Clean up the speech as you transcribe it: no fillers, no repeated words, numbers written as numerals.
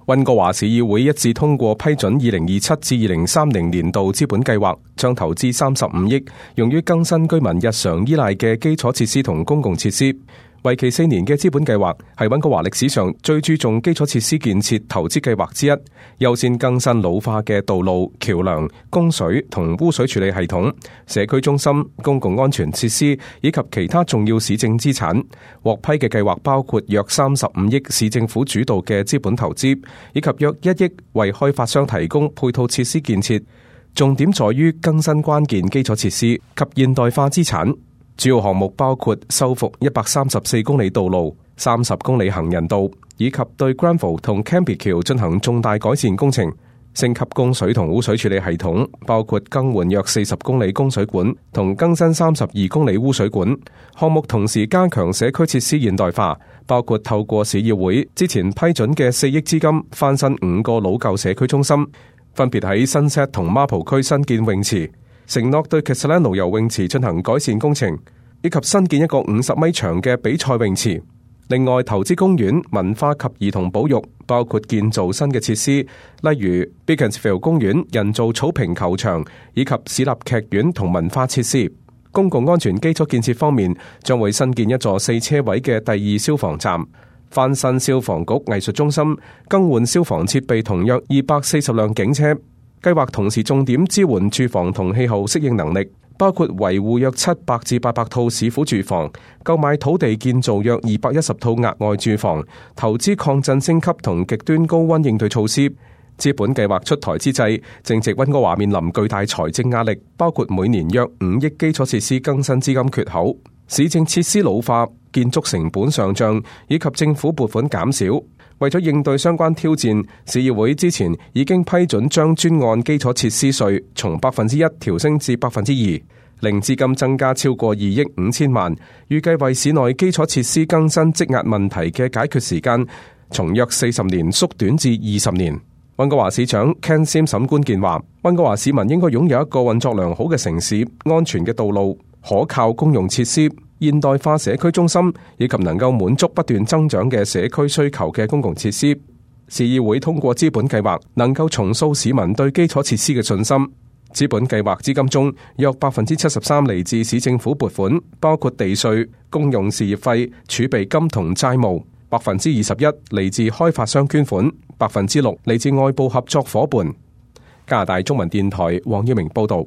溫哥華市議會一致通過批准2027至2030年度資本計劃，將投資35億用於更新居民日常依賴嘅基礎設施同公共設施。為期4年嘅資本計劃係溫哥華歷史上最注重基礎設施建設投資計劃之一，優先更新老化嘅道路、橋樑、供水同污水處理系統、社區中心、公共安全設施以及其他重要市政資產。獲批嘅計劃包括約35億市政府主導嘅資本投資，以及約1億為開發商提供配套設施建設。重點在於更新關鍵基礎設施及現代化資產。主要項目包括修復134公里道路、30公里行人道，以及對 Granville 同 Cambie 橋進行重大改善工程，升級供水同污水處理系統，包括更換約40公里供水管同更新32公里污水管。項目同時加強社區設施現代化，包括透過市議會之前批准嘅4億資金翻新5個老舊社區中心，分別喺Sunset同Marple區新建泳池，承諾對 Castlano 游泳池進行改善工程，以及新建一個50米長嘅比賽泳池。另外，投資公園、文化及兒童保育，包括建造新嘅設施，例如 Beaconsfield 公園、人造草坪球場，以及市立劇院同文化設施。公共安全基礎建設方面，將會新建一座4車位嘅第2消防站，翻新消防局藝術中心，更換消防設備同約240輛警車。計劃同時重點支援住房同氣候適應能力，包括維護約700至800套市府住房，購買土地建造約210套額外住房，投資抗震升級同極端高溫應對措施。資本計劃出台之際，正值溫哥華面臨巨大財政壓力，包括每年約5億基礎設施更新資金缺口、市政設施老化、建築成本上漲以及政府撥款減少。為咗應對相關挑戰，市議會之前已經批准將專案基礎設施稅從1%調升至2%，令資金增加超過2億5千萬，預計為市內基礎設施更新積壓問題嘅解決時間從約40年縮短至20年。溫哥華市長 Ken Simpson 官健話，溫哥華市民應該擁有一個運作良好嘅城市、安全嘅道路、可靠公用設施、現代化社區中心以及能夠滿足不斷增長嘅社區需求嘅公共設施。市議會通過資本計劃，能夠重塑市民對基礎設施嘅信心。資本計劃資金中，約73%嚟自市政府撥款，包括地稅、公用事業費、儲備金同債務；21%嚟自開發商捐款；6%嚟自外部合作夥伴。加拿大中文電台黃耀明報道。